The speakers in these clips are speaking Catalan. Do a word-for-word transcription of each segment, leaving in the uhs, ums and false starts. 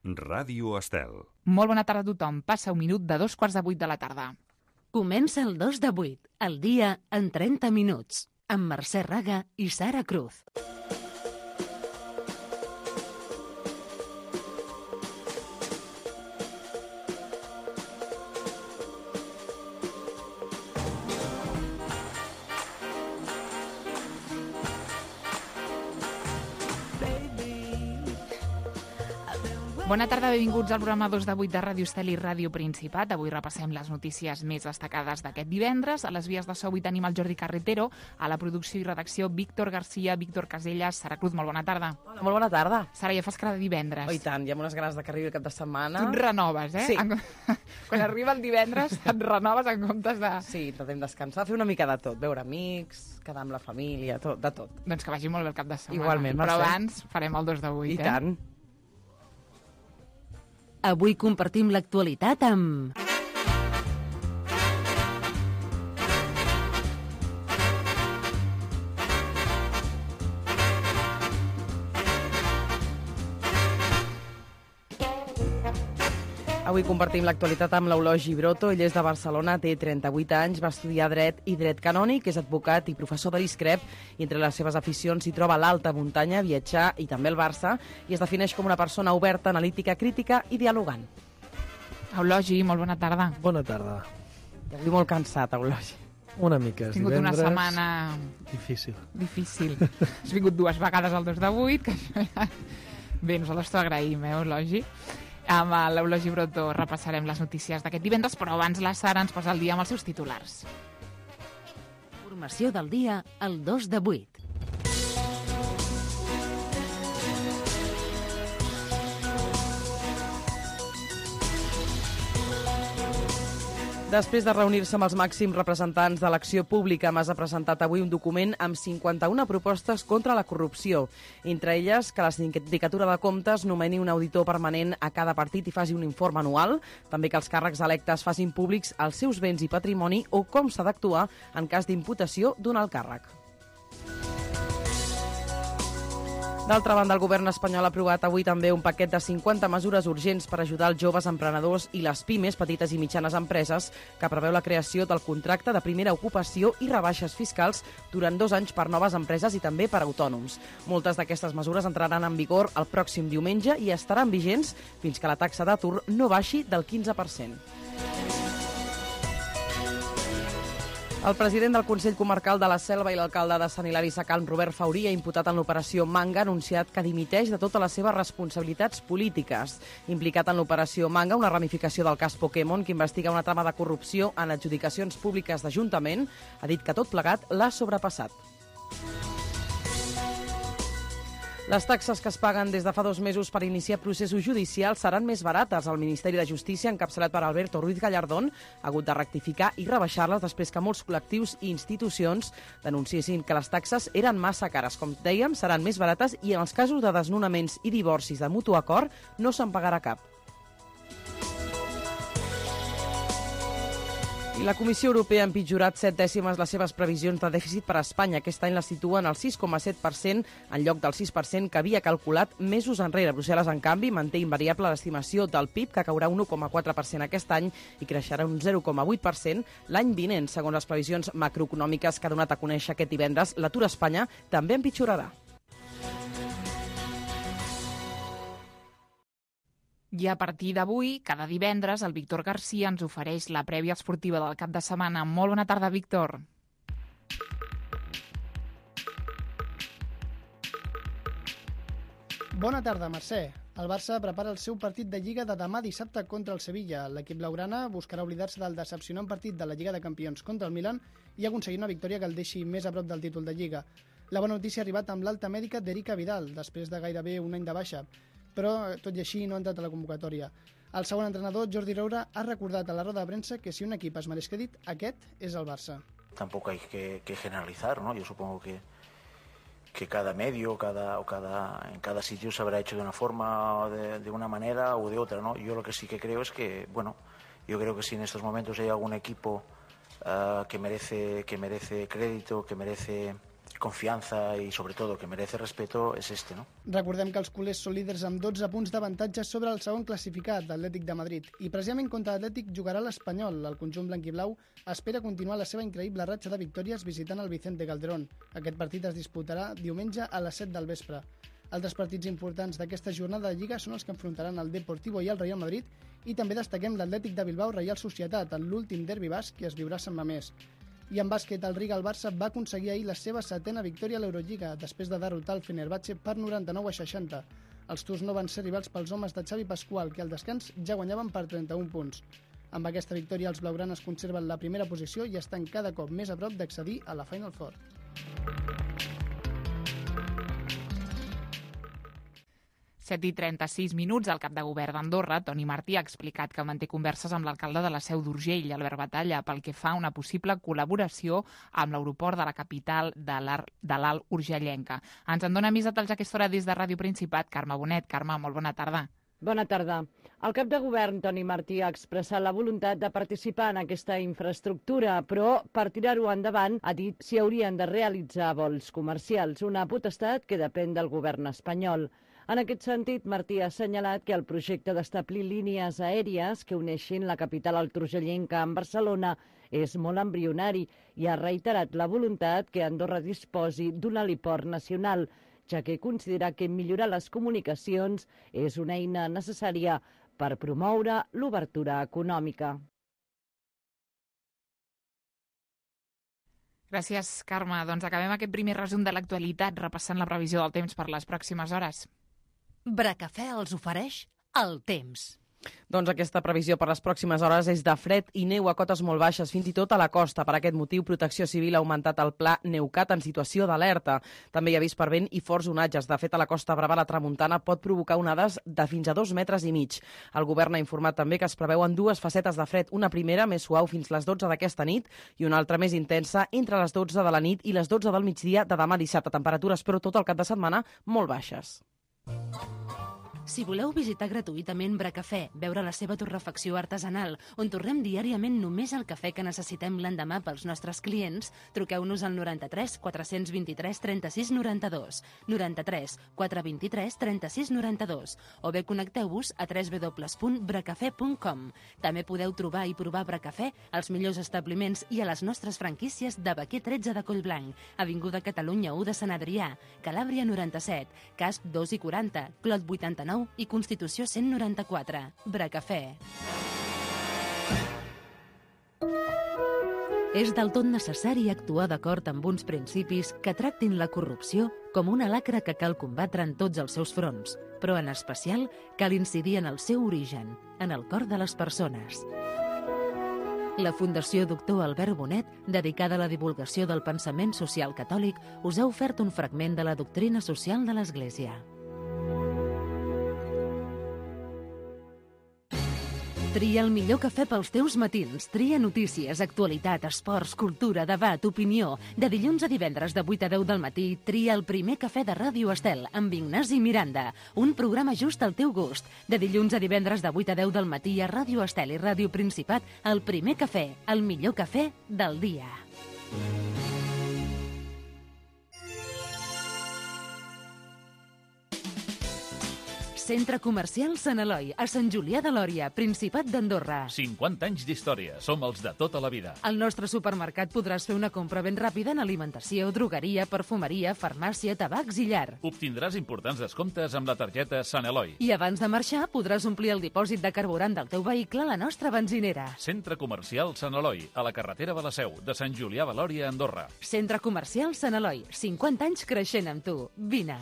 Ràdio Estel. Molt bona tarda a tothom. Passa un minut de dos quarts de vuit de la tarda. Comença el dos de vuit, el dia en trenta minuts, amb Mercè Raga i Sara Cruz. Bona tarda, benvinguts al programa dos de vuit de Ràdio Estel i Ràdio Principat. Avui repassem les notícies més destacades d'aquest divendres. A les vies de so avui tenim el Jordi Carretero, a la producció i redacció Víctor Garcia, Víctor Casellas, Sara Cruz, molt bona tarda. Hola, molt bona tarda. Sara, ja fas cara de divendres. Oh, i tant, hi ha unes ganes de que arribi el cap de setmana. Tu et renoves, eh? Sí. Quan arriba el divendres et renoves en comptes de... Sí, intentem descansar, fer una mica de tot, veure amics, quedar amb la família, tot, de tot. Doncs que vagi molt bé el cap de setmana. Igualment, Però Mercè. abans farem el dos de vuit, I eh? tant. Avui compartim l'actualitat amb... Avui compartim l'actualitat amb l'Eulogi Broto. Ell és de Barcelona, té trenta-vuit anys, va estudiar dret i dret canònic, és advocat i professor de l'ISCREP, i entre les seves aficions s'hi troba l'alta muntanya, viatjar i també el Barça, i es defineix com una persona oberta, analítica, crítica i dialogant. Eulogi, molt bona tarda. Bona tarda. I avui molt cansat, Eulogi. Una mica, és Has tingut una divendres. setmana Difícil. difícil. Has vingut dues vegades al dos de vuit, que això ja... Bé, nosaltres t'ho agraïm, eh, Eulogi. Amb l'Eulogi Broto repassarem les notícies d'aquest divendres, però abans la Sara ens posa el dia amb els seus titulars. Informació del dia al dos de vuit. Després de reunir-se amb els màxims representants de l'acció pública, Mas ha presentat avui un document amb cinquanta-una propostes contra la corrupció. Entre elles, que la Sindicatura de Comptes nomeni un auditor permanent a cada partit i faci un informe anual, també que els càrrecs electes facin públics els seus béns i patrimoni o com s'ha d'actuar en cas d'imputació d'un alt càrrec. D'altra banda, el govern espanyol ha aprovat avui també un paquet de cinquanta mesures urgents per ajudar els joves emprenedors i les pimes, petites i mitjanes empreses, que preveu la creació del contracte de primera ocupació i rebaixes fiscals durant dos anys per noves empreses i també per autònoms. Moltes d'aquestes mesures entraran en vigor el pròxim diumenge i estaran vigents fins que la taxa d'atur no baixi del quinze per cent. El president del Consell Comarcal de la Selva i l'alcalde de Sant Hilari Sacalm, Robert Fauria, imputat en l'operació Manga, ha anunciat que dimiteix de totes les seves responsabilitats polítiques. Implicat en l'operació Manga, una ramificació del cas Pokémon que investiga una trama de corrupció en adjudicacions públiques d'Ajuntament, ha dit que tot plegat l'ha sobrepassat. Les taxes que es paguen des de fa dos mesos per iniciar processos judicials seran més barates. El Ministeri de Justícia, encapçalat per Alberto Ruiz Gallardón, ha hagut de rectificar i rebaixar-les després que molts col·lectius i institucions denunciessin que les taxes eren massa cares. Com dèiem, seran més barates i en els casos de desnonaments i divorcis de mutu acord no se'n pagarà cap. I la Comissió Europea ha empitjorat set dècimes les seves previsions de dèficit per a Espanya. Aquest any la situen al sis coma set per cent en lloc del sis per cent que havia calculat mesos enrere. Brussel·les, en canvi, manté invariable l'estimació del P I B, que caurà un u coma quatre per cent aquest any i creixerà un zero coma vuit per cent l'any vinent. Segons les previsions macroeconòmiques que ha donat a conèixer aquest divendres, l'atur a Espanya també empitjorarà. I a partir d'avui, cada divendres, el Víctor Garcia ens ofereix la prèvia esportiva del cap de setmana. Molt bona tarda, Víctor. Bona tarda, Mercè. El Barça prepara el seu partit de Lliga de demà dissabte contra el Sevilla. L'equip blaugrana buscarà oblidar-se del decepcionant partit de la Lliga de Campions contra el Milan i aconseguir una victòria que el deixi més a prop del títol de Lliga. La bona notícia ha arribat amb l'alta mèdica d'Erika Vidal, després de gairebé un any de baixa, però tot i així no ha entrat a la convocatòria. El segon entrenador, Jordi Roura, ha recordat a la roda de premsa que si un equip es mereix crèdit, aquest és el Barça. Tampoco hay que, que generalizar, ¿no? Yo supongo que, que cada medio cada, o cada, en cada sitio se habrá hecho de una forma, de, de una manera o de otra, ¿no? Yo lo que sí que creo es que, bueno, yo creo que si en estos momentos hay algún equipo uh, que merece, que merece crédito, que merece confianza y sobre todo que merece respeto es este, ¿no? Recordem que els culers són líders amb dotze punts d'avantatge sobre el segon classificat, l'Atlètic de Madrid. I precisament contra l'Atlètic jugarà l'Espanyol. El conjunt blanquiblau espera continuar la seva increïble ratxa de victòries visitant el Vicente Calderón. Aquest partit es disputarà diumenge a les set del vespre. Altres partits importants d'aquesta jornada de Lliga són els que enfrontaran el Deportivo i el Real Madrid, i també destaquem l'Atlètic de Bilbao Reial Societat, en l'últim derbi basc que es viurà a Sant Mamés. I en bàsquet, el Riga, el Barça, va aconseguir ahir la seva setena victòria a l'Eurolliga, després de derrotar el Fenerbahçe per noranta-nou a seixanta. Els turcs no van ser rivals pels homes de Xavi Pascual, que al descans ja guanyaven per trenta-un punts. Amb aquesta victòria, els blaugranes conserven la primera posició i estan cada cop més a prop d'accedir a la Final Four. set i trenta-sis minuts, el cap de govern d'Andorra, Toni Martí, ha explicat que manté converses amb l'alcalde de la Seu d'Urgell, Albert Batalla, pel que fa a una possible col·laboració amb l'aeroport de la capital de l'Alt Urgellenca. Ens en dona més detalls a aquesta hora des de Ràdio Principat, Carme Bonet. Carme, molt bona tarda. Bona tarda. El cap de govern, Toni Martí, ha expressat la voluntat de participar en aquesta infraestructura, però per tirar-ho endavant ha dit si haurien de realitzar vols comercials, una potestat que depèn del govern espanyol. En aquest sentit, Martí ha assenyalat que el projecte d'establir línies aèries que uneixin la capital alturgellenca amb Barcelona és molt embrionari i ha reiterat la voluntat que Andorra disposi d'un heliport nacional, ja que considera que millorar les comunicacions és una eina necessària per promoure l'obertura econòmica. Gràcies, Carme. Doncs acabem aquest primer resum de l'actualitat repassant la previsió del temps per les pròximes hores. Bracafè els ofereix el temps. Doncs aquesta previsió per les pròximes hores és de fred i neu a cotes molt baixes, fins i tot a la costa. Per aquest motiu, Protecció Civil ha augmentat el pla Neucat en situació d'alerta. També hi ha avís per vent i forts onatges. De fet, a la Costa Brava la tramuntana pot provocar onades de fins a dos metres i mig. El govern ha informat també que es preveuen dues facetes de fred, una primera més suau fins les dotze d'aquesta nit i una altra més intensa entre les dotze de la nit i les dotze del migdia de demà dissabte. Temperatures, però, tot el cap de setmana molt baixes. Si voleu visitar gratuïtament Bracafè, veure la seva torrefacció artesanal, on torrem diàriament només el cafè que necessitem l'endemà pels nostres clients, truqueu-nos al noranta-tres quatre-cents vint-i-tres trenta-sis noranta-dos, noranta-tres quatre vint-i-tres trenta-sis noranta-dos, o bé connecteu-vos a w w w punt bracafè punt com. També podeu trobar i provar Bracafè als millors establiments i a les nostres franquícies de Baquer tretze de Collblanc, Avinguda Catalunya u de Sant Adrià, Calàbria noranta-set, Casp dos i quaranta, Clot vuitanta-nou i Constitució cent noranta-quatre. Bracafè. És del tot necessari actuar d'acord amb uns principis que tractin la corrupció com una lacra que cal combatre en tots els seus fronts, però en especial cal incidir en el seu origen, en el cor de les persones. La Fundació Doctor Albert Bonet, dedicada a la divulgació del pensament social catòlic, us ha ofert un fragment de la doctrina social de l'Església. Tria el millor cafè pels teus matins. Tria notícies, actualitat, esports, cultura, debat, opinió. De dilluns a divendres de vuit a deu del matí, tria el primer cafè de Ràdio Estel amb Ignasi Miranda. Un programa just al teu gust. De dilluns a divendres de vuit a deu del matí a Ràdio Estel i Ràdio Principat, el primer cafè, el millor cafè del dia. Centre Comercial Sant Eloi, a Sant Julià de Lòria, Principat d'Andorra. cinquanta anys d'història. Som els de tota la vida. Al nostre supermercat podràs fer una compra ben ràpida en alimentació, drogueria, perfumeria, farmàcia, tabacs i llar. Obtindràs importants descomptes amb la targeta Sant Eloi. I abans de marxar podràs omplir el dipòsit de carburant del teu vehicle a la nostra benzinera. Centre Comercial Sant Eloi, a la carretera de la Seu, de Sant Julià de Lòria, Andorra. Centre Comercial Sant Eloi, cinquanta anys creixent amb tu. Vine.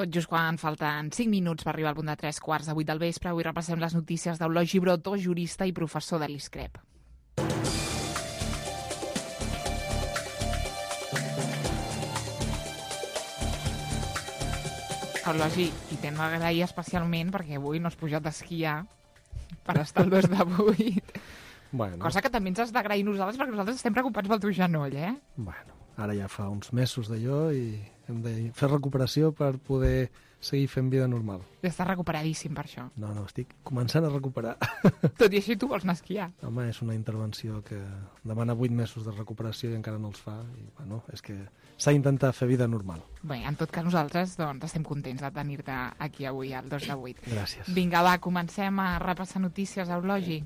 Tot just quan falten cinc minuts per arribar al punt de tres quarts de vuit del vespre, avui repassem les notícies d'Eulogii Brotó, jurista i professor de l'I S C R E P. Eulogii, i t'hem d'agrair especialment perquè avui no has pujat a esquiar per estar el dos de vuit. Bueno. Cosa que també ens has d'agrair nosaltres perquè nosaltres estem preocupats pel teu genoll, eh? Bueno, ara ja fa uns mesos d'allò i hem de fer recuperació per poder seguir fent vida normal. I estàs recuperadíssim per això. No, no, estic començant a recuperar. Tot i així tu vols anar a esquiar. Home, és una intervenció que demana vuit mesos de recuperació i encara no els fa. I, bueno, és que s'ha d'intentar fer vida normal. Bé, en tot cas nosaltres doncs, estem contents de tenir-te aquí avui al dos de vuit. Gràcies. Vinga, va, comencem a repassar notícies, Eulogi.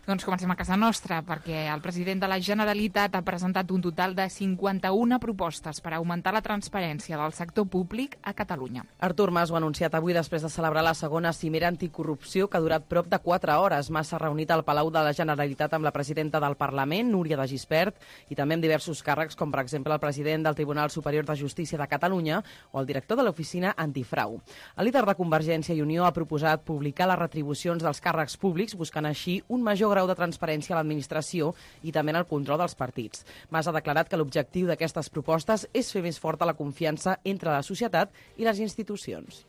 Doncs comencem a casa nostra, perquè el president de la Generalitat ha presentat un total de cinquanta-una propostes per augmentar la transparència del sector públic a Catalunya. Artur Mas ho ha anunciat avui després de celebrar la segona cimera anticorrupció que ha durat prop de quatre hores. Mas s'ha reunit al Palau de la Generalitat amb la presidenta del Parlament, Núria de Gispert, i també amb diversos càrrecs, com per exemple el president del Tribunal Superior de Justícia de Catalunya o el director de l'Oficina Antifrau. El líder de Convergència i Unió ha proposat publicar les retribucions dels càrrecs públics, buscant així un major grau de transparència a l'administració i també en el control dels partits. Mas ha declarat que l'objectiu d'aquestes propostes és fer més forta la confiança entre la societat i les institucions.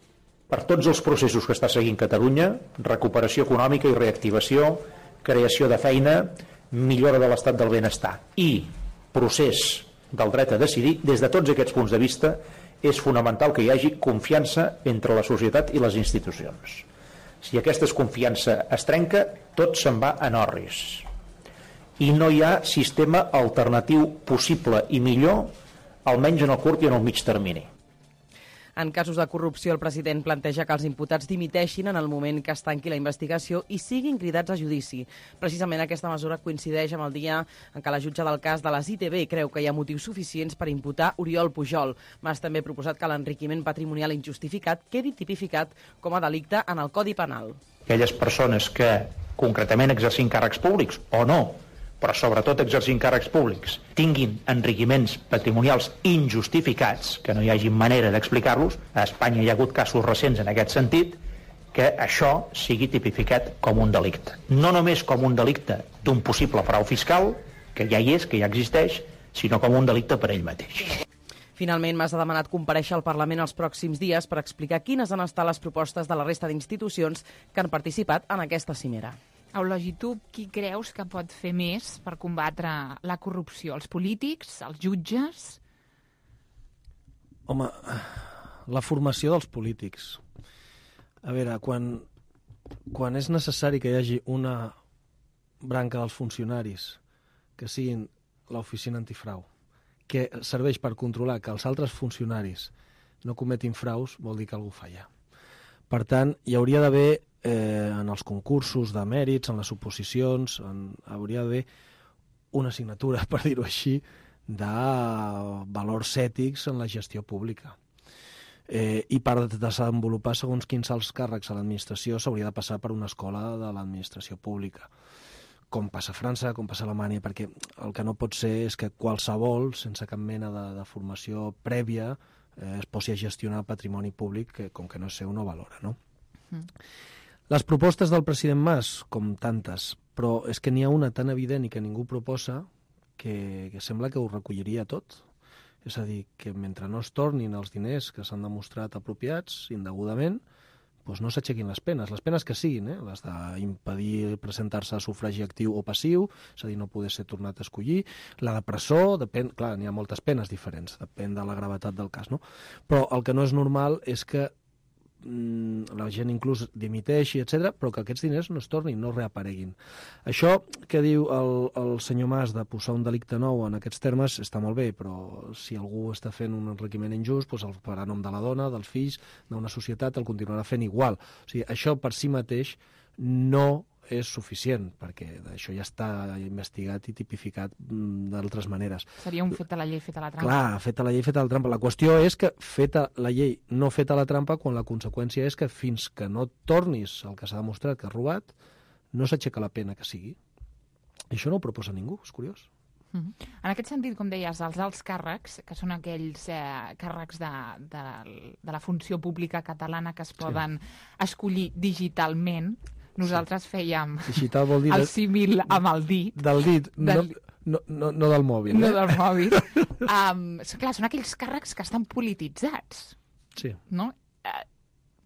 Per tots els processos que està seguint Catalunya, recuperació econòmica i reactivació, creació de feina, millora de l'estat del benestar i procés del dret a decidir, des de tots aquests punts de vista, és fonamental que hi hagi confiança entre la societat i les institucions. Si aquesta confiança es trenca, tot se'n va en orris. I no hi ha sistema alternatiu possible i millor, almenys en el curt i en el mig termini. En casos de corrupció, el president planteja que els imputats dimiteixin en el moment que es tanqui la investigació i siguin cridats a judici. Precisament aquesta mesura coincideix amb el dia en què la jutge del cas de les I T B creu que hi ha motius suficients per imputar Oriol Pujol. Mas també ha proposat que l'enriquiment patrimonial injustificat quedi tipificat com a delicte en el Codi Penal. Aquelles persones que concretament exercint càrrecs públics o no, però sobretot exercint càrrecs públics, tinguin enriquiments patrimonials injustificats, que no hi hagi manera d'explicar-los, a Espanya hi ha hagut casos recents en aquest sentit, que això sigui tipificat com un delicte. No només com un delicte d'un possible frau fiscal, que ja hi és, que ja existeix, sinó com un delicte per ell mateix. Finalment, Mas ha demanat comparèixer al Parlament els pròxims dies per explicar quines han estat les propostes de la resta d'institucions que han participat en aquesta cimera. Eulogi, tu qui creus que pot fer més per combatre la corrupció? Els polítics? Els jutges? Home, la formació dels polítics. A veure, quan, quan és necessari que hi hagi una branca dels funcionaris que siguin l'oficina antifrau, que serveix per controlar que els altres funcionaris no cometin fraus, vol dir que algú falla. Per tant, hi hauria d'haver Eh, en els concursos de mèrits, en les oposicions, en, hauria d'haver una assignatura, per dir-ho així, de valors ètics en la gestió pública. Eh, I per desenvolupar segons quins alts càrrecs a l'administració s'hauria de passar per una escola de l'administració pública, com passa a França, com passa a Alemanya, perquè el que no pot ser és que qualsevol, sense cap mena de, de formació prèvia, eh, es posi a gestionar patrimoni públic que, com que no és seu, no valora, no? Mm. Les propostes del president Mas, com tantes, però és que n'hi ha una tan evident i que ningú proposa que, que sembla que ho recolliria tot. És a dir, que mentre no es tornin els diners que s'han demostrat apropiats indegudament, doncs no s'aixequin les penes. Les penes que siguin, eh? Les d'impedir presentar-se a sufragi actiu o passiu, és a dir, no poder ser tornat a escollir. La de presó, depèn, clar, n'hi ha moltes penes diferents, depèn de la gravetat del cas, no? Però el que no és normal és que la gent inclús dimiteixi, etcètera, però que aquests diners no es tornin, no reapareguin. Això que diu el, el senyor Mas de posar un delicte nou en aquests termes està molt bé, però si algú està fent un enriquiment injust, doncs el farà a nom de la dona, dels fills, d'una societat, el continuarà fent igual. O sigui, això per si mateix no és suficient, perquè això ja està investigat i tipificat d'altres maneres. Seria un fet a la llei, fet a la trampa. Clar, fet a la llei, fet a la trampa. La qüestió és que feta la llei, no feta la trampa, quan la conseqüència és que fins que no tornis el que s'ha demostrat que has robat, no s'aixeca la pena que sigui. I això no ho proposa ningú, és curiós. Uh -huh. En aquest sentit, com deies, els alts càrrecs, que són aquells eh, càrrecs de, de, de la funció pública catalana que es poden sí. escollir digitalment, nosaltres fèiem digital vol dir el símil amb el dit. Del dit, del... No, no, no del mòbil. No eh? del mòbil. um, clar, són aquells càrrecs que estan polititzats. Sí. No? Uh,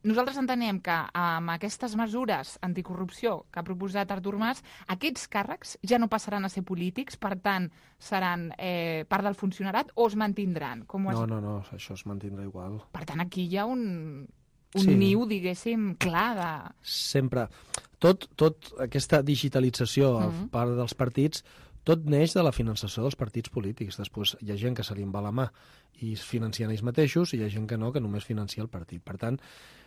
nosaltres entenem que amb aquestes mesures anticorrupció que ha proposat Artur Mas, aquests càrrecs ja no passaran a ser polítics, per tant, seran eh, part del funcionarat o es mantindran? Com no, es... no, no, això es mantindrà igual. Per tant, aquí hi ha un... un Sí. niu, diguéssim, clar de... Sempre. Tot, tot aquesta digitalització a Mhm. part dels partits, tot neix de la finançació dels partits polítics. Després hi ha gent que se li en va la mà i es financien ells mateixos i hi ha gent que no, que només financia el partit. Per tant,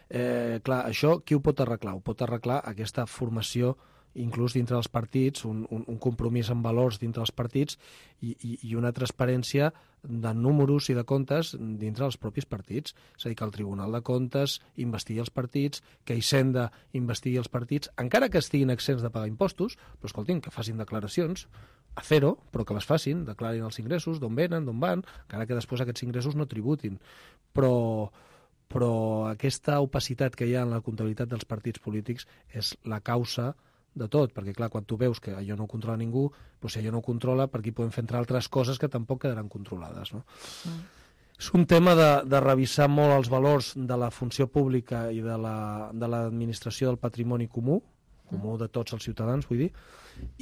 eh, clar, això qui ho pot arreglar? Ho pot arreglar aquesta formació inclús dintre dels partits, un, un, un compromís amb valors dintre dels partits i, i, i una transparència de números i de comptes dintre dels propis partits. És a dir, que el Tribunal de Comptes investigui els partits, que Hisenda investigui els partits, encara que estiguin exempts de pagar impostos, però escoltin, que facin declaracions a zero, però que les facin, declarin els ingressos, d'on venen, d'on van, encara que després aquests ingressos no tributin. Però, però aquesta opacitat que hi ha en la comptabilitat dels partits polítics és la causa de tot, perquè clar, quan tu veus que allò no ho controla ningú, doncs si allò no ho controla, per aquí podem fer entrar altres coses que tampoc quedaran controlades, no? Mm. És un tema de, de revisar molt els valors de la funció pública i de la, de l'administració del patrimoni comú, comú de tots els ciutadans, vull dir,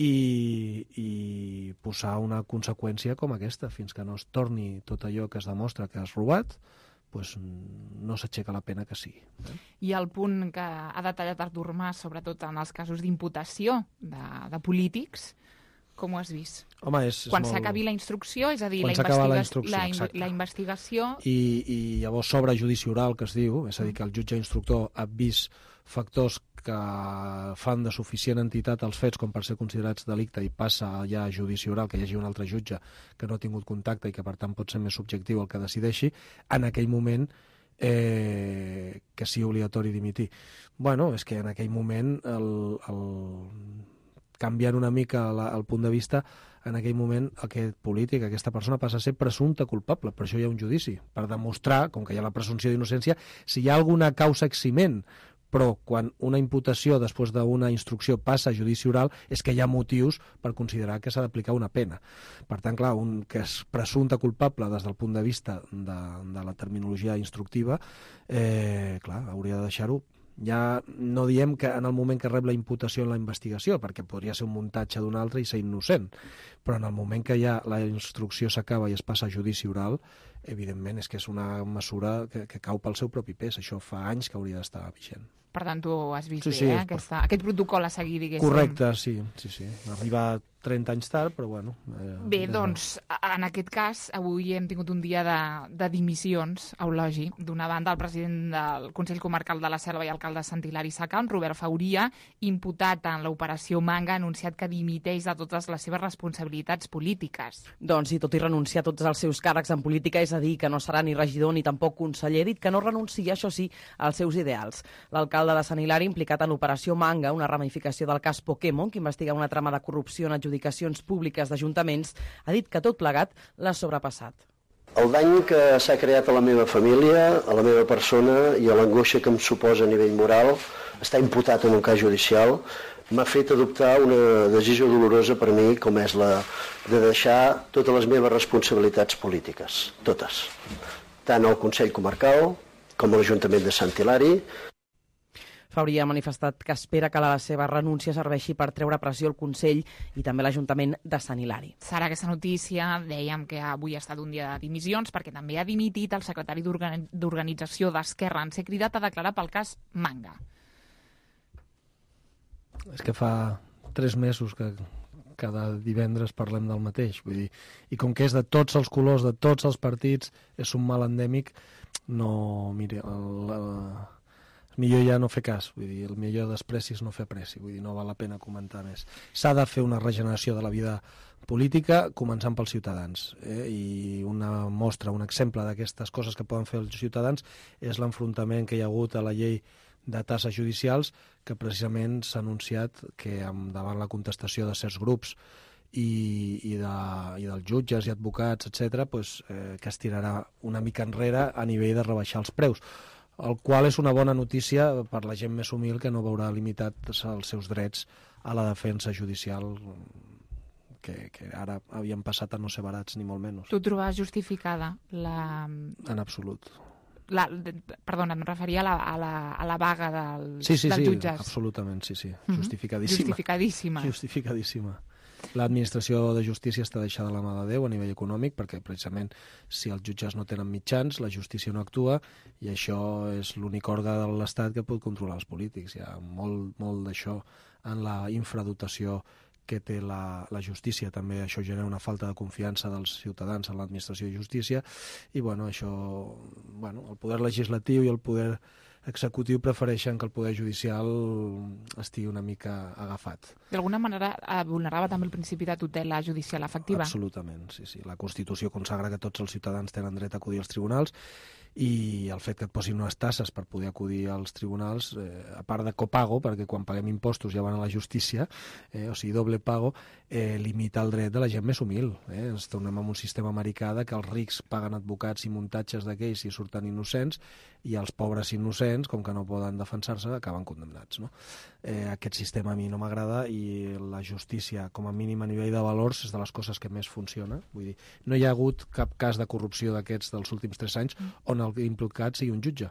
i, i posar una conseqüència com aquesta, fins que no es torni tot allò que es demostra que has robat, pues no s'aixeca la pena que sigui. Eh? I el punt que ha detallat Artur Mas, sobretot en els casos d'imputació de, de polítics, com ho has vist? Home, és, és Quan molt... s'acabi la instrucció, és a dir, Quan la, s'acaba la investiga... instrucció, la, in... exacte. la investigació... I, I llavors s'obre judici oral, que es diu, és a dir, que el jutge instructor ha vist factors que fan de suficient entitat els fets com per ser considerats delicte i passa ja a judici oral, que hi hagi un altre jutge que no ha tingut contacte i que per tant pot ser més subjectiu el que decideixi, en aquell moment eh, que sigui obligatori dimitir. Bueno, és que en aquell moment el, el... canviant una mica la, el punt de vista, en aquell moment aquest polític, aquesta persona passa a ser presumpte culpable, per això hi ha un judici, per demostrar, com que hi ha la presumpció d'innocència, si hi ha alguna causa eximent, però quan una imputació després d'una instrucció passa a judici oral és que hi ha motius per considerar que s'ha d'aplicar una pena. Per tant, clar, un que és presumpte culpable des del punt de vista de, de la terminologia instructiva, eh, clar, hauria de deixar-ho. Ja no diem que en el moment que rep la imputació en la investigació, perquè podria ser un muntatge d'un altre i ser innocent, però en el moment que ja la instrucció s'acaba i es passa a judici oral, evidentment és que és una mesura que, que cau pel seu propi pes. Això fa anys que hauria d'estar vigent. Per tant, tu has vist Sí, bé, sí, eh? Aquesta, aquest protocol a seguir, diguéssim. Correcte, sí, sí, sí. Arriba trenta anys tard, però bueno... Eh, Bé, doncs, en aquest cas, avui hem tingut un dia de, de dimissions, eulogi. D'una banda, el president del Consell Comarcal de la Selva i alcalde de Sant Hilari Sacalm, Robert Fauria, imputat en l'operació Manga, ha anunciat que dimiteix de totes les seves responsabilitats polítiques. Doncs, i tot i renunciar a tots els seus càrrecs en política, és a dir, que no serà ni regidor ni tampoc conseller, dit que no renuncia, això sí, als seus ideals. L'alcalde de Sant Hilari, implicat en l'operació Manga, una ramificació del cas Pokémon, que investiga una trama de corrupció en adjudicacions públiques d'ajuntaments, ha dit que tot plegat l'ha sobrepassat. El dany que s'ha creat a la meva família, a la meva persona i a l'angoixa que em suposa a nivell moral, està imputat en un cas judicial, m'ha fet adoptar una decisió dolorosa per mi, com és la de deixar totes les meves responsabilitats polítiques, totes, tant al Consell Comarcal com a l'Ajuntament de Sant Hilari. Fauria ha manifestat que espera que la seva renúncia serveixi per treure pressió al Consell i també l'Ajuntament de Sant Hilari. Sara, aquesta notícia, dèiem que avui ha estat un dia de dimissions perquè també ha dimitit el secretari d'Organització d'Esquerra. En ser cridat a declarar pel cas Manga. És que fa tres mesos que cada divendres parlem del mateix. Vull dir, i com que és de tots els colors, de tots els partits, és un mal endèmic, no... Mire, el, el, el millor ja no fer cas, vull dir, el millor despreci és no fer pressi, vull dir, no val la pena comentar més. S'ha de fer una regeneració de la vida política, començant pels ciutadans, eh? I una mostra, un exemple d'aquestes coses que poden fer els ciutadans és l'enfrontament que hi ha hagut a la llei de tasses judicials, que precisament s'ha anunciat que davant la contestació de certs grups i, i, de, i dels jutges i advocats, etcètera, pues, eh, que es tirarà una mica enrere a nivell de rebaixar els preus, el qual és una bona notícia per la gent més humil que no veurà limitats els seus drets a la defensa judicial que, que ara havien passat a no ser barats, ni molt menys. Tu trobes justificada la... En absolut. La, perdona, em referia a la, a la, a la vaga del, sí, sí, dels sí, jutges. Absolutament, sí, sí. Mm-hmm. Justificadíssima. Justificadíssima. Justificadíssima. L'administració de justícia està deixada a la mà de Déu a nivell econòmic, perquè precisament si els jutges no tenen mitjans, la justícia no actua, i això és l'únic òrgan de l'Estat que pot controlar els polítics. Hi ha molt, molt d'això en la infradotació que té la, la justícia. També això genera una falta de confiança dels ciutadans en l'administració de justícia, i bueno, això, bueno, el poder legislatiu i el poder executiu prefereixen que el poder judicial estigui una mica agafat. D'alguna manera vulnerava també el principi de tutela judicial efectiva? Absolutament, sí, sí. La Constitució consagra que tots els ciutadans tenen dret a acudir als tribunals, i el fet que et posin unes tasses per poder acudir als tribunals, eh, a part de copago, perquè quan paguem impostos ja van a la justícia, eh, o sigui, doble pago, eh, limita el dret de la gent més humil. Eh? Ens tornem en un sistema americà de que els rics paguen advocats i muntatges d'aquells i surten innocents, i els pobres innocents, com que no poden defensar-se, acaben condemnats. No? Eh, aquest sistema a mi no m'agrada, i la justícia, com a mínim a nivell de valors, és de les coses que més funciona. Vull dir, no hi ha hagut cap cas de corrupció d'aquests dels últims tres anys on el implicat sigui un jutge.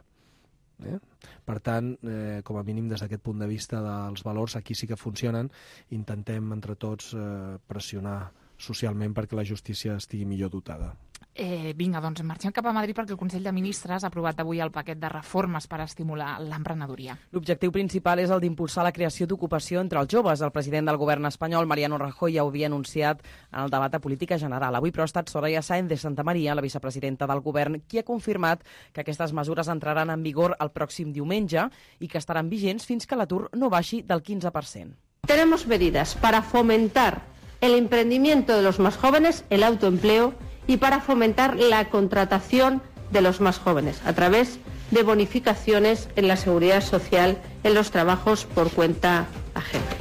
Eh? Per tant, eh, com a mínim des d'aquest punt de vista dels valors, aquí sí que funcionen. Intentem entre tots eh, pressionar socialment perquè la justícia estigui millor dotada. Eh, vinga, doncs marxem cap a Madrid, perquè el Consell de Ministres ha aprovat avui el paquet de reformes per estimular l'emprenedoria. L'objectiu principal és el d'impulsar la creació d'ocupació entre els joves. El president del govern espanyol, Mariano Rajoy, ja ho havia anunciat en el debat de política general. Avui, però, ha estat Soraya Sáenz de Santa María, la vicepresidenta del govern, qui ha confirmat que aquestes mesures entraran en vigor el pròxim diumenge i que estaran vigents fins que l'atur no baixi del quinze per cent. Tenemos medidas para fomentar el emprendimiento de los más jóvenes, el autoempleo, y para fomentar la contratación de los más jóvenes a través de bonificaciones en la seguridad social en los trabajos por cuenta ajena.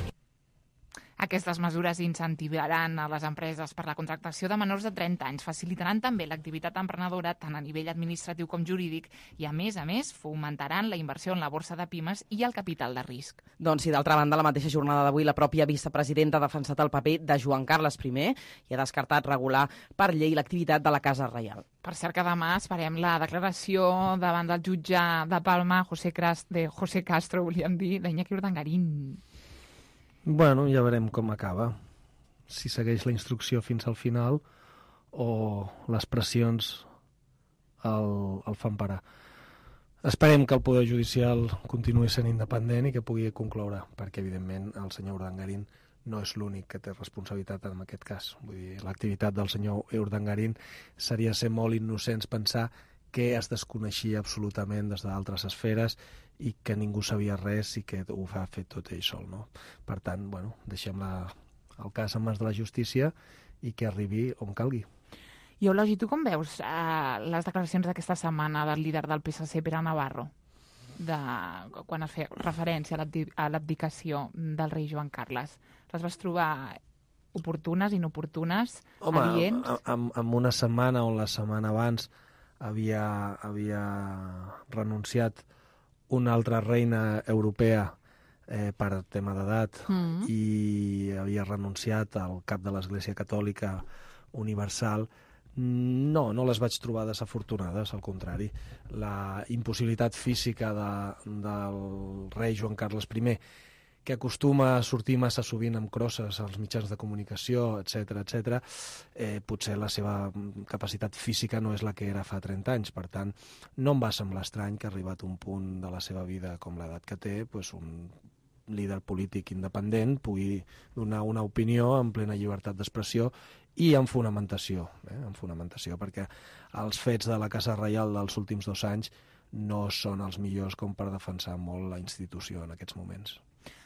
Aquestes mesures incentivaran a les empreses per la contractació de menors de trenta anys, facilitaran també l'activitat emprenedora tant a nivell administratiu com jurídic i, a més a més, fomentaran la inversió en la borsa de pimes i el capital de risc. Doncs sí, d'altra banda, la mateixa jornada d'avui la pròpia vicepresidenta ha defensat el paper de Joan Carles primer i ha descartat regular per llei l'activitat de la Casa Reial. Per cert que demà esperem la declaració davant del jutge de Palma, José, Cras, de José Castro, volíem dir, d'Iñaki Urdangarín. Bueno, ja veurem com acaba. Si segueix la instrucció fins al final o les pressions el, el fan parar. Esperem que el Poder Judicial continuï sent independent i que pugui concloure, perquè, evidentment, el senyor Urdangarín no és l'únic que té responsabilitat en aquest cas. Vull dir, l'activitat del senyor Urdangarín seria ser molt innocents pensar que es desconeixia absolutament des d'altres esferes i que ningú sabia res i que ho ha fet tot ell sol. No? Per tant, bueno, deixem la, el cas en mans de la justícia i que arribi on calgui. I Eulogi, tu com veus eh, les declaracions d'aquesta setmana del líder del P S C, Pere Navarro, de, quan es feia referència a l'abdicació del rei Joan Carles? Les vas trobar oportunes, inoportunes, Home, adients? Home, en una setmana o la setmana abans havia, havia renunciat una altra reina europea eh, per tema d'edat mm. i havia renunciat al cap de l'Església Catòlica Universal. No, no les vaig trobar desafortunades, al contrari. La impossibilitat física de, del rei Joan Carles primer, que acostuma a sortir massa sovint amb crosses als mitjans de comunicació, etcètera, etcètera, eh, potser la seva capacitat física no és la que era fa trenta anys. Per tant, no em va semblar estrany que ha arribat un punt de la seva vida com l'edat que té, pues un líder polític independent pugui donar una opinió en plena llibertat d'expressió i amb fonamentació, eh, amb fonamentació, perquè els fets de la Casa Reial dels últims dos anys no són els millors com per defensar molt la institució en aquests moments.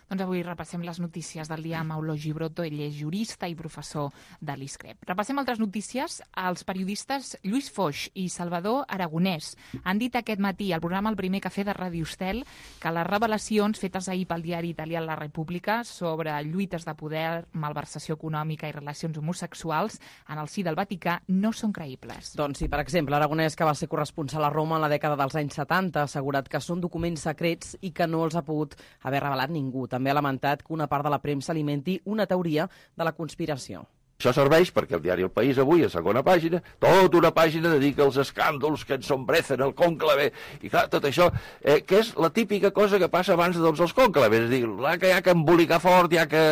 Doncs avui repassem les notícies del dia amb Eulogi Broto. Ell és jurista i professor de l'ISCREP. Repassem altres notícies. Els periodistes Lluís Foix i Salvador Aragonès han dit aquest matí al programa El Primer Cafè de Ràdio Estel que les revelacions fetes ahir pel diari italià La República sobre lluites de poder, malversació econòmica i relacions homosexuals en el si del Vaticà no són creïbles. Doncs sí, per exemple, Aragonès, que va ser corresponsal a Roma en la dècada dels anys setanta, ha assegurat que són documents secrets i que no els ha pogut haver revelat ningú. També ha lamentat que una part de la premsa alimenti una teoria de la conspiració. Això serveix perquè el diari El País avui, a segona pàgina, tota una pàgina dedica als escàndols que ensombrecen el cònclave, i clar, tot això, eh, que és la típica cosa que passa abans de tots els cònclaves, és a dir, que hi ha que embolicar fort, hi ha que,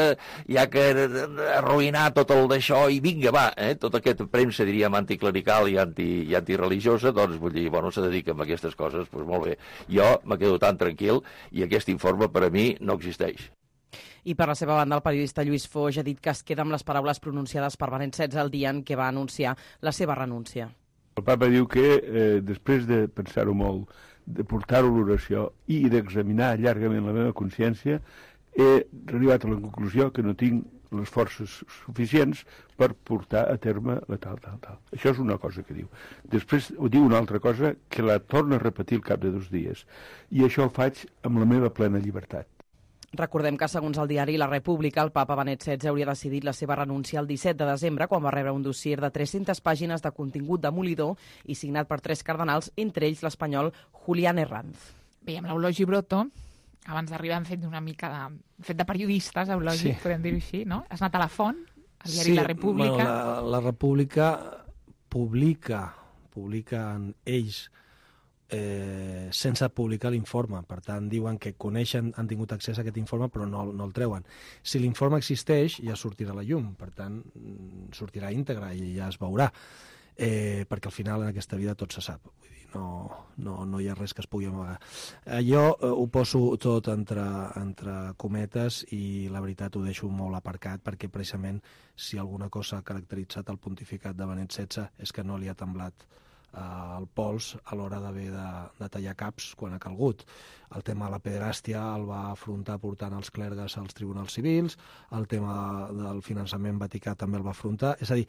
hi ha que arruïnar tot el d'això, i vinga, va, eh, tota aquesta premsa, diríem, anticlerical i, anti, i antireligiosa, doncs, vull dir, bueno, se dedica a aquestes coses, doncs molt bé. Jo me quedo tan tranquil, i aquest informe, per a mi, no existeix. I per la seva banda, el periodista Lluís Foix ha dit que es queda amb les paraules pronunciades per Benet setze el dia en què va anunciar la seva renúncia. El papa diu que eh, després de pensar-ho molt, de portar-ho a l'oració i d'examinar llargament la meva consciència, he arribat a la conclusió que no tinc les forces suficients per portar a terme la tal, tal, tal. Això és una cosa que diu. Després ho diu una altra cosa que la torna a repetir al cap de dos dies. I això ho faig amb la meva plena llibertat. Recordem que, segons el diari La República, el papa Benet setze hauria decidit la seva renúncia el disset de desembre, quan va rebre un dossier de tres-centes pàgines de contingut demolidor i signat per tres cardenals, entre ells l'espanyol Julián Herranz. Bé, amb l'Eulogi Broto, abans d'arribar hem fet una mica de, fet de periodistes, Eulogi, sí. Podem dir-ho així, no? Has anat a la font, al diari sí, La República. Bueno, la, la República publica, publiquen ells Eh, sense publicar l'informe. Per tant, diuen que coneixen, han tingut accés a aquest informe, però no, no el treuen. Si l'informe existeix, ja sortirà a la llum. Per tant, sortirà íntegre i ja es veurà. Eh, perquè al final en aquesta vida tot se sap. Vull dir, no, no, no hi ha res que es pugui amagar. Eh, jo eh, ho poso tot entre, entre cometes i la veritat ho deixo molt aparcat, perquè precisament si alguna cosa ha caracteritzat el pontificat de Benet setze és que no li ha temblat el pols a l'hora d'haver de, de tallar caps quan ha calgut. El tema de la pederàstia el va afrontar portant els clergues als tribunals civils, el tema del finançament vaticà també el va afrontar. És a dir,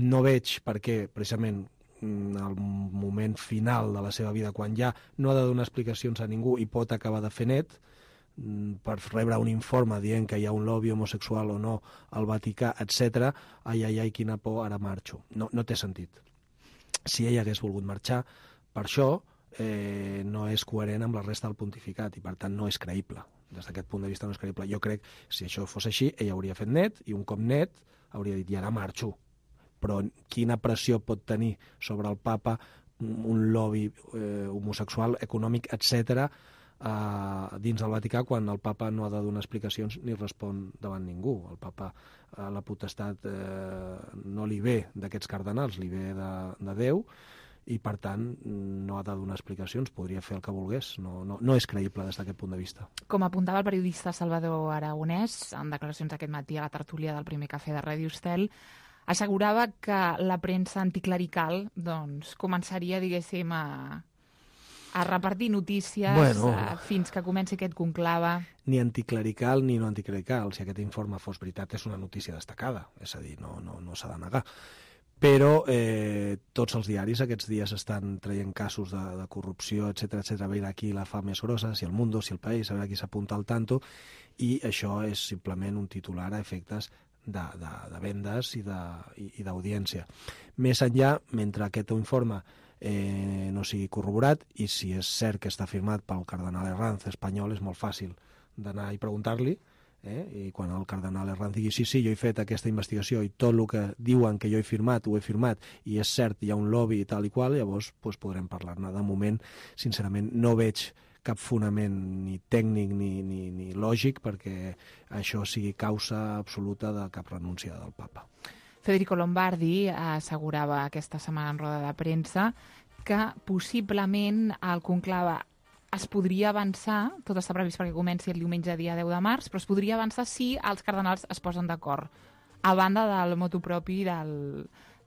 no veig per què, precisament, al moment final de la seva vida, quan ja no ha de donar explicacions a ningú i pot acabar de fer net, per rebre un informe dient que hi ha un lobby homosexual o no al Vaticà, etcètera, ai, ai, ai, quina por, ara marxo. No, no té sentit. Si ell hagués volgut marxar, per això eh, no és coherent amb la resta del pontificat i per tant no és creïble. Des d'aquest punt de vista no és creïble. Jo crec que si això fos així, ell hauria fet net i un cop net hauria dit, i ara marxo. Però quina pressió pot tenir sobre el papa un lobby eh, homosexual, econòmic, etcètera, eh, dins del Vaticà, quan el papa no ha de donar explicacions ni respon davant ningú. El papa, eh, la potestat eh, no li ve d'aquests cardenals, li ve de, de Déu, i per tant no ha de donar explicacions, podria fer el que volgués. No, no, no és creïble des d'aquest punt de vista. Com apuntava el periodista Salvador Aragonès, en declaracions aquest matí a la tertúlia del primer cafè de Ràdio Estel, assegurava que la premsa anticlerical doncs, començaria, diguéssim, a... a repartir notícies bueno, uh, fins que comenci aquest conclave. Ni anticlerical ni no anticlerical. Si aquest informe fos veritat, és una notícia destacada. És a dir, no, no, no s'ha de negar. Però eh, tots els diaris aquests dies estan traient casos de, de corrupció, etcètera, etcètera, a veure qui la fa més grossa, si el Mundo, si el País, a veure qui s'apunta al tanto, i això és simplement un titular a efectes de, de, de vendes i d'audiència. Més enllà, mentre aquest informe Eh, no sigui corroborat, i si és cert que està firmat pel cardenal Herranz espanyol, és molt fàcil d'anar i preguntar-li, eh? I quan el cardenal Herranz digui sí, sí, jo he fet aquesta investigació i tot el que diuen que jo he firmat, ho he firmat, i és cert, hi ha un lobby i tal i qual, llavors pues, podrem parlar-ne. De moment, sincerament, no veig cap fonament ni tècnic ni, ni, ni lògic perquè això sigui causa absoluta de cap renúncia del papa. Federico Lombardi assegurava aquesta setmana en roda de premsa que possiblement el conclave es podria avançar, tot està previst perquè comenci el diumenge dia deu de març, però es podria avançar si els cardenals es posen d'acord, a banda del motu propi del,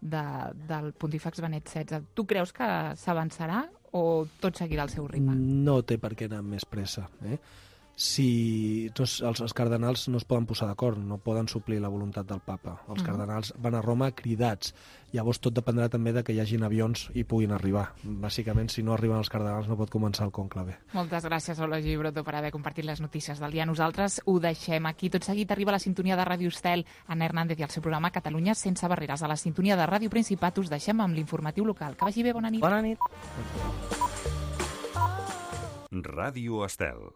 de, del pontífex Benet setze. Tu creus que s'avançarà o tot seguirà al seu ritme? No té per què anar amb més pressa, eh? Si tots els, els cardenals no es poden posar d'acord, no poden suplir la voluntat del papa. Els uh-huh. cardenals van a Roma cridats. Llavors tot dependrà també de que hi hagin avions i puguin arribar. Bàsicament, si no arriben els cardenals no pot començar el conclave. Moltes gràcies, Eulogi Broto, per haver compartit les notícies del dia. Nosaltres ho deixem aquí. Tot seguit arriba la sintonia de Ràdio Estel, Anna Hernández i el seu programa Catalunya sense barreres. A la sintonia de Ràdio Principat us deixem amb l'informatiu local. Que vagi bé, bona nit. Bona nit. Ràdio Estel.